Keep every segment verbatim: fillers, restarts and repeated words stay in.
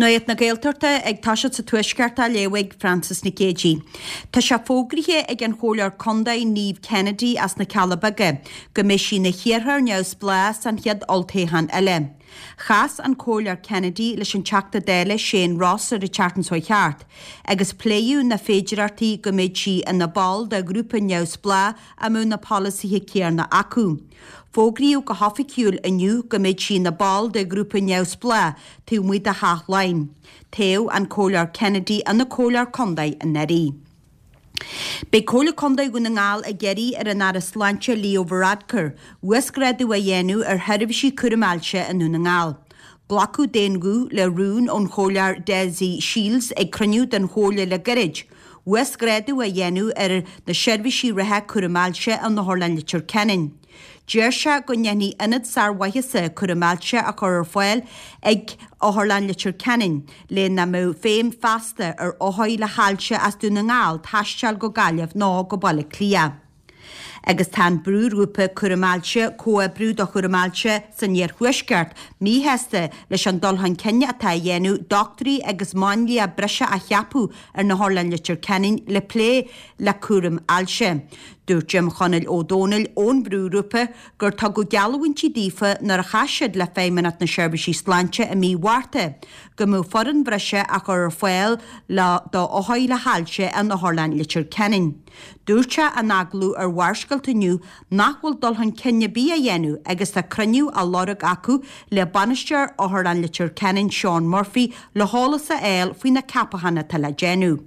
Nuacht na Gaeltachta ag toiseacht sa Tuaisceart á léamh ag Frances Nic Géadaigh. Tá sé fógraithe ag an Chomhairleoir Contae Niamh Kennedy as na Cealla Beaga go mbeidh sí ina hiarrthóir neamhspleách san chéad olltoghchán eile. Chas an Comhairleoir Kennedy leis an Teachta Dála Shane Ross ar an tseachtain seo thart, agus pléadh na féidearthachtaí go mbeidh sí ina ball de ghrúpa neamhspleách a mbeadh na polasaithe céanna acu. Fógraíodh go hoifigiúil inniu go mbeidh sí ina ball de ghrúpa neamhspleách taobh amuigh de Theach Laighean. Toghadh an Comhairleoir Kennedy ina Comhairleoir Contae anuraidh. Beidh Comhairle Contae Dhún na nGall ag iarraidh ar an Aire Sláinte Leo Varadkar uasghrádú a dhéanamh ar sheirbhísí cúraim ailse i nDún na nGall. Glacadh d'aon ghuth le rún ón Chomhairleoir Dessie Shiels ag cruinniú den Chomhairle le gairid, uasghrádú a dhéanamh ar na seirbhísí reatha cúraim ailse in Otharlann Leitir Ceanainn. Deir sé go ndéanfaidh ionad sármhaitheasa cúraim ailse a chur ar fáil ag Otharlann Leitir Ceanainn, le nach mbeadh feidhm feasta ar othair le hailse as Dún na nGall taisteal go Gaillimh nó go Baile Átha Cliath. Agus tá an brúghrúpa cúraim ailse Comhoibriú do Chúram Ailse san Iarthuaisceart míshásta leis an dul chun cinn atá á dhéanamh dochtúirí agus máinlia breise a cheapadh ar na hOtharlann Leitir Ceanainn le plé le cúram ailse. Dúirt Jim Chonaill Ó Dónaill ón bhrúghrúpa gur tugadh geallúintí daofa nuair a chas siad le Feidhmeannacht na Seirbhísí Sláinte i mí Mhárta go mbeadh foireann bhreise á chur ar fáil le do othair le hailse in Otharlann Leitir Ceanainn. Dúirt sé in agallamh ar Bharrscéalta inniu nach bhfuil dul chun cinn ar bith á dhéanamh agus tá cruinniú á lorg acu le bainisteoir Otharlann Leitir Ceanainn Seán Murphy le heolas a fháil faoi na ceapacháin atá le déanamh.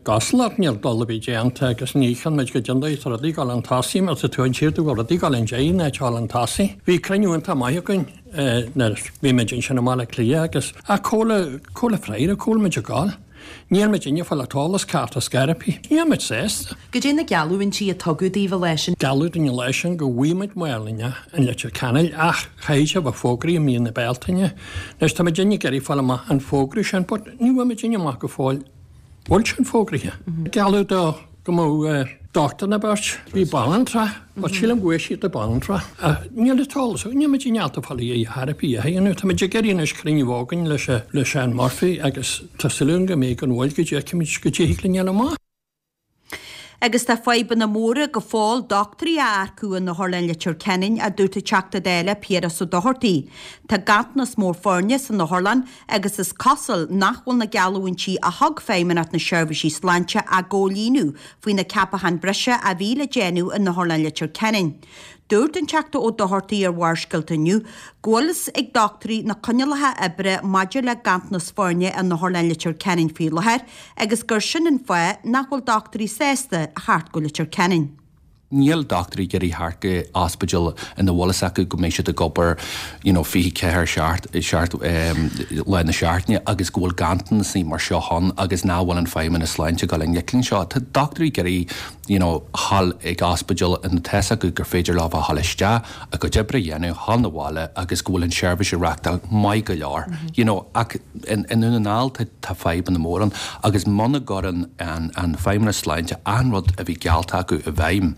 Cosúlacht níl dul a bhí déanta agus ní chan muid go déandaí rudaí ag dul chun tosaigh mar tá tú an tír go rudaí ag dul chun deiridh ná dul chun tosaigh. Bhí cruinniú iontach maith againn nuair bhí muid ansin i mBaile Átha Cliath agus ach comhla comhla freire comhla muid ag dul. Níl muid inne fáil eolas ceart as scairpí. Níl muid sásta. Goidé na geallúintí a tugadh daoibh leis sin. Gealladh dúinn leis sin go bhfaighidh muid máinlia in Leitir Ceanainn ach chaithfidh sé bheith fógraithe i mí na Bealtaine. Anois tá muid ag iarraidh fáil amach an fógra sin, but ní bhfuil muid amach go fóill bhfuil sin fógraithe. Gealladh do go mbeadh dochtúir nó beirt bhí banaltra, but sílim go bhfuil siad de banaltra. Níl an t-eolas, níl muid ábalta fáil í therapy a dhéanamh, Tá muid ag iarraidh anois cruinniú againn leis le Seán Murphy agus tá súil go mbeidh an bhfuil go dteicimid go dtig linn amach. Agus tá fadhbanna móra go fóill dochtúirí a earcú in Otharlann Leitir Ceanainn a dúirt an Teachta Dála Piaras Ó Dochartaigh. Tá ganntanas mór foirne san Otharlann agus is cosúil nach bhfuil na geallúintí a thug Feidhmeannacht na Seirbhísí Sláinte á gcomhlíonadh faoi na ceapacháin breise a bhí le déanamh in Otharlann Leitir Ceanainn. Dúirt an Teachta Ó Dochartaigh ar Bharrscéalta inniu go bhfuil fhios ag dochtúirí na coinníollacha oibre maidir le ganntanas foirne in Otharlann Leitir Ceanainn faoi láthair agus gur sin an fáth nach bhfuil dochtúirí sásta a theacht go Leitir Ceanainn. Níl dochtúirí ag iarraidh theacht go ospidéal ina bhfuil fhios acu go mbeidh siad ag obair you know, fiche ceathair seacht seacht um, lá na seachtaine agus go bhfuil ganntanas mar seo ann agus nach bhfuil an Feidhmeannas Sláinte ag dul i ngleic leis seo. Tá dochtúirí ag iarraidh you know, dhul ag ospidéal ina tá fhios acu gur féidir leo a dhul isteach a gcuid oibre a dhéanamh dhul 'na bhaile agus go bhfuil an seirbhís á reáchtáil maith go leor. Mm -hmm. you know, ach in, in Dún na nGall tá, tá fadhbanna mór ann agus muna gcuireann an, an Feidhmeannas Sláinte an rud a bhí geallta acu i bhfeidhm.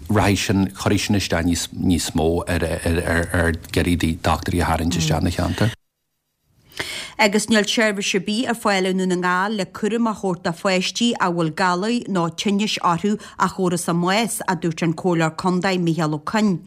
Rachaidh sin chuirfidh sin isteach níos, níos mó ar, ar, ar, ar iarraidh dochtúirí a tharraingt isteach na cheantar. Agus níl seirbhís ar bith ar fáil i nDún na nGall le cúram a thabhairt do pháistí a bhfuil galair nó tinnis orthu a fuarthas a mbás a dúirt an Comhairleoir Contae Micheál Ó Coinn.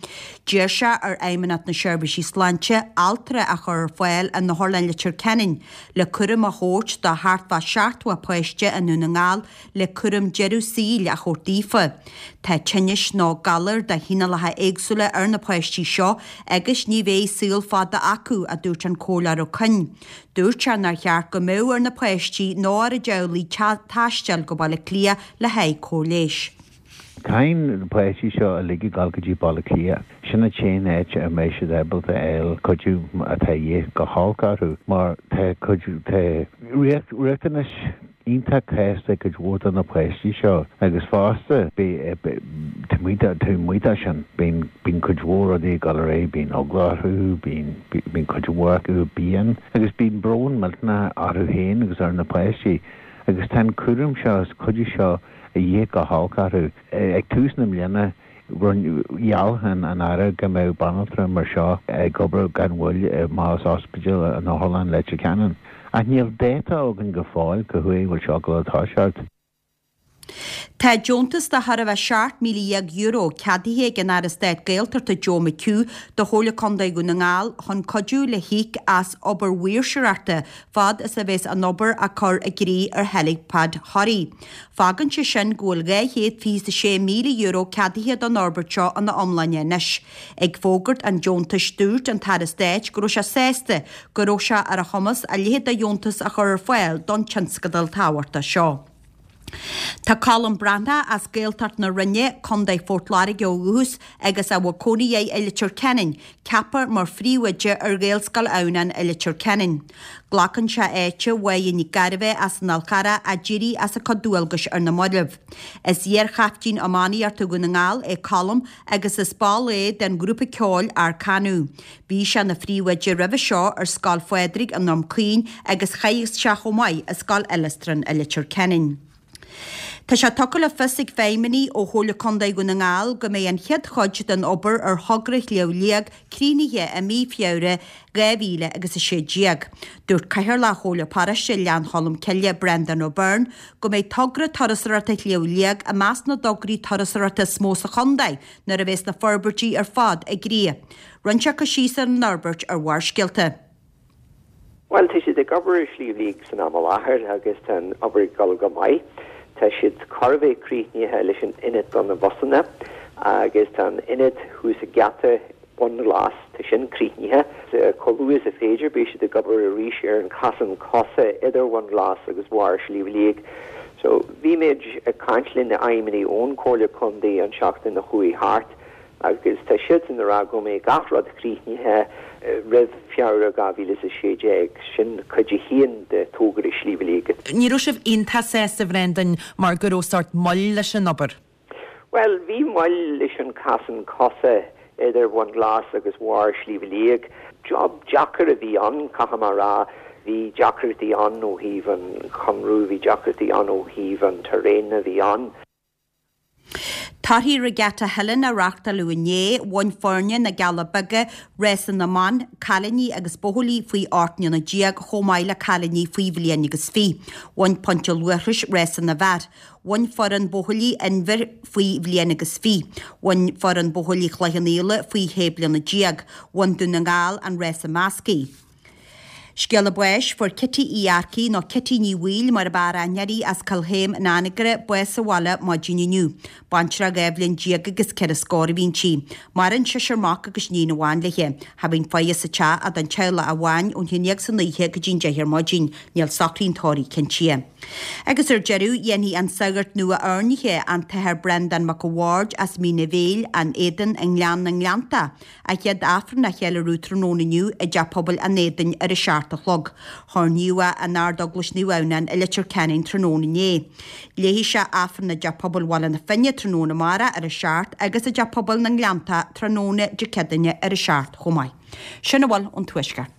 D'iarr sé ar Fheidhmeannacht na Seirbhísí Sláinte altra a chur ar fáil in Otharlann Leitir Ceanainn le cúram a thabhairt do thart fá seachtó páiste i Ndún na nGall le cúram deireadh saoil a thabhairt daofa. Tá tinnis nó galair de chineálacha éagsúla ar na páistí seo agus ní bheidh saol fada acu a dúirt an Comhairleoir Ó Coinn. Dúirt sé nár cheart go mbeadh ar na páistí nó ar a dteaghlaigh taisteal go Baile Átha Cliath le haghaidh cóir leighis. Caithfidh na páistí seo uilig ag dul go dtí Baile Átha Cliath. Sin an t-aon áit a mbeidh siad ábalta fháil cuidiú atá de dhíth go holc orthu mar tá cuid tá riachtanais iontach casta cuid mhór de na páistí seo agus fosta muid sin bíonn bíonn cuid mhór rudaí ag dul ar aghaidh bíonn eagla orthu bíonn bíonn cuid mhór acu bíonn agus bíonn brón millteanach orthu féin agus ar na páistí agus tá an cúram seo is cuidiú seo de dhíth go holc orthu ag tús na bliana gheall an an Aire go mbeadh banaltra mar seo ag obair gan mhoill i más ospidéal in Otharlann Leitir Ceanainn. Ach níl dáta againn go fóill cá huair a bhfuil seo ag dul a toiseacht. Tá deontas de chóir a bheith seacht míle dhéag euro ceadaithe ag an Aire Stáit Gaeltachta Joe McHugh do Chomhairle Contae Dhún na nGall chun cuidiú le híoc as obair mhaoirseoireachta fad is a bheas an obair á cur i gcrích ar Helipad Thoraí. Fágann sé sin go bhfuil dhá chéad fiche is sé míle euro ceadaithe don fhorbairt seo ina iomláine anois. Ag fógairt an deontais dúirt an tAire Stáit go raibh sé sásta go raibh sé ar a chumas a leithéid de dheontas a chur ar fáil don tionscadal tábhachtach seo. Tá Colm Breathnach as Gaeltacht na Rinne, Contae Phort Láirge ó dhúchas agus a bhfuil cónaí air i Leitir Ceanainn, ceaptha mar phríomhoide ar Ghaelscoil Adhamhnáin i Leitir Ceanainn. Glacann sé áit Mháire Nic Gairbheith as an Fhál Carrach a d'éirigh as a cuid dualgais ar na mallaibh. Is iar-chaiftín iománaíochta Dhún na nGall é Colm agus is ball é den ghrúpa ceoil Arkanu. Bhí sé ina phríomhoide roimhe seo ar Scoil Phádraig i nDroim Caoin agus chaith sé chomh maith i Scoil Illistrin i Leitir Ceanainn. Tá sé tugtha le fios ag feidhmeannaigh ó Chomhairle Contae Dhún na nGall go mbeidh an chéad chuid den obair ar thogra Shliabh Liag críochnaithe i mí Feabhra dhá mhíle agus a sé déag. Dúirt Cathaoirleach Chomhairle Paróiste Ghleann Cholm Cille, Brendan O'Byrne, go mbeidh togra turasóireachta Shliabh Liag i measc na dtograí turasóireachta is mó sa chontae nuair a bheas na forbairtí ar fad i gcrích. Rinne sé cur síos ar an fhorbairt ar Bharrscéalta. Bhuel, tá siad ag obair ar Shliabh Liag san am i láthair agus tá an obair ag dul go maith. Tá siad chóir a bheith críochnaithe leis an ionad do na busanna agus tá an ionad thuas ag geata Bhun Glas, tá sin críochnaithe. Chomh luath is a féidir beidh siad ag obair arís ar an chosán cosa idir Bhun Glas agus barr Shliabh Liag. So bhí muid ag caint le na feidhmeannaigh ón Chomhairle Contae an seachtain a chuaigh thart agus tá siadsan ag rá go mbeidh gach rud críochnaithe roimh Feabhra dhá mhíle is a sé déag, sin cuid a haon de togra Shliabh Liag. Ní raibh sibh iontach sásta, a Bhrendan, mar go raibh sórt moill leis an obair? Bhuel, bhí moill leis an chosán cosa idir Bhun Glas agus barr Shliabh Liag. Job deacair a bhí ann, caithfidh mé a rá. Bhí deacrachtaí ann ó thaobh an chonradh, bhí deacrachtaí ann ó thaobh an terrain a bhí ann. Torthaí Regatta Theilinn a reáchtáladh inné, bhain foirne na gCealla Beaga rása na mban, cailíní agus buachaillí faoi ocht mbliana déag chomh maith le cailíní faoi bhliain agus fiche. Bhain Pointe Luachrais rása na bhfear. Bhain foireann buachaillí Inbhir faoi bhliain agus fiche. Bhain foireann buachaillí Chloich Cheann Fhaola faoi shé bliana déag. Bhain Dún na nGall an rása measctha. Scéala báis, Fuair Kitty Uí Earcaigh, nó Kitty Ní Bhaoill mar ab fhearr aithne uirthi, as Cill Chéim in Anagaire, bás sa bhaile maidin inniu. Baintreach dhá bhliain déag agus ceithre scór a bhí inti. Maireann seisear mac agus iníon amháin léi. Cha bhíonn faire sa teach ach don teaghlach amháin ón haon déag san oíche go dtí'n deich ar maidin. Níl socraí an tórraimh cinntithe. Agus ar deireadh, dhéanfaidh an sagart nua-oirnithe, an tAthair Breandán Mac a' Bhaird as Mín a' Bhéil, An Éadan i nGleann na nGleanntach, A chéad Aifreann á cheiliúradh tráthnóna inniu i dTeach Pobail an Éadain ar a seacht a chlog. Hoirníodh é in Ard-Eaglais Naomh Adhamhnáin i Leitir Ceanainn tráthnóna inné. Léifidh sé Aifreann i dTeach Pobail Bhaile na Finne tráthnóna amárach ar a seacht agus i dTeach Pobail na nGleanntach tráthnóna Dé Céadaoine ar a seacht chomh maith. Sin a bhfuil ón Tuaisceart.